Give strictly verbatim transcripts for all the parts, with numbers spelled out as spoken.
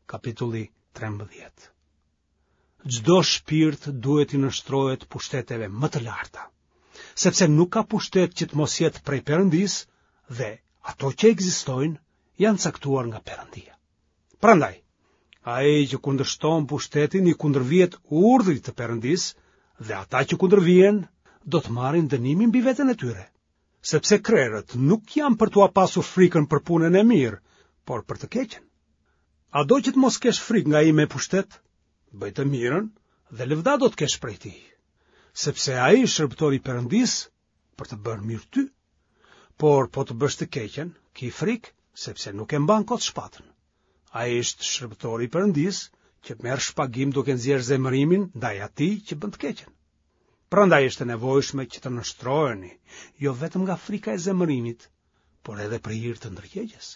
Kapitulli trembëdhjetë. Çdo shpirt duhet t'i nënshtrohet pushteteve më të larta, sepse nuk ka pushtet që të mos jetë prej Perëndisë dhe ato që ekzistojnë janë caktuar nga Perëndia. Prandaj, ai që kundërshton pushtetin i kundërvihet urdhrit të Perëndisë dhe ata që kundërvihen do të marrin dënimin mbi veten e tyre. Sepse krerët nuk janë për t'ua pasur frikën për punën e mirë, por për të keqen. A do që të mos kesh frikë nga ai me pushtet? Bëj të mirën dhe lëvdatë do të kesh prej tij. Sepse ai është shërbëtor i Perëndisë për të bërë mirë ty. Por po të bësh të keqen, ki frikë, sepse nuk e mban kot shpatën. Ai është shërbëtor i Perëndisë që merr shpagim duke nxjerrë zemërimin ndaj atij që bën të keqen. Prandaj është e nevojshme që të nënshtroheni, jo vetëm nga frika e zemërimit, por edhe për hir të ndërgjegjes.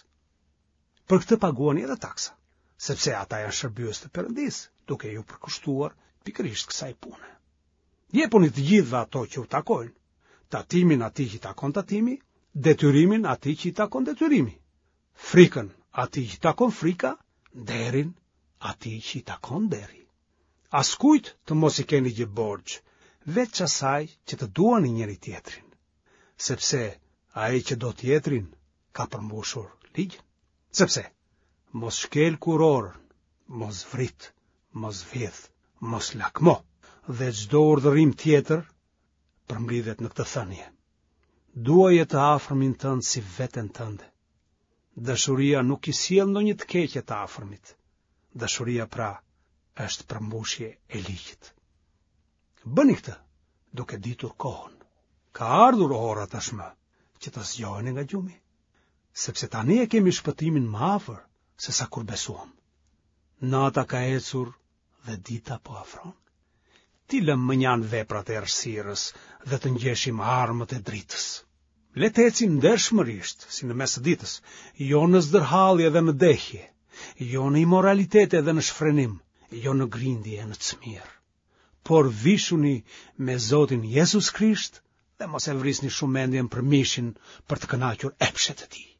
Për këtë paguani edhe taksa, sepse ata janë shërbyes të Perëndisë, duke iu përkushtuar pikërisht kësaj pune. Jepuni të gjithëve ato që u takojnë, tatimin atij që i takon tatimi, detyrimin atij që i takon detyrimi, frikën atij që i takon frika, nderin atij që i takon nderi. Askujt të mos i keni gjë borxh, veç asaj që të duani njëri-tjetrin, sepse ai që do tjetrin ka përmbushur ligjin. Sepse mos shkel kurorën, mos vrit, mos vjedh, mos lakmo dhe çdo urdhërim tjetër përmblidhet në këtë thënie. Duaje të afërmin tënd si veten tënde. Dashuria nuk i sjell ndonjë të keqe të afërmit. Dashuria pra është përmbushje e ligjit. Bëni këtë duke ditur kohën. Ka ardhur ora tashmë që të zgjoheni nga gjumi, sepse tani e kemi shpëtimin më afër se sa kur besuam. Nata ka ecur dhe dita po afron. T'i lëmë mënjanë veprat e errësirës dhe të ngjeshim armët e dritës. Le të ecim ndershmërisht, si në mes të ditës, jo në zdërhallje dhe në dehje, jo në imoralitete dhe në shfrenim, jo në grindje e në cmirë. Por vishuni me Zotin Jezus Krisht dhe mos e vrisni shumë mendjen për mishin për të kënaqur epshet e tij.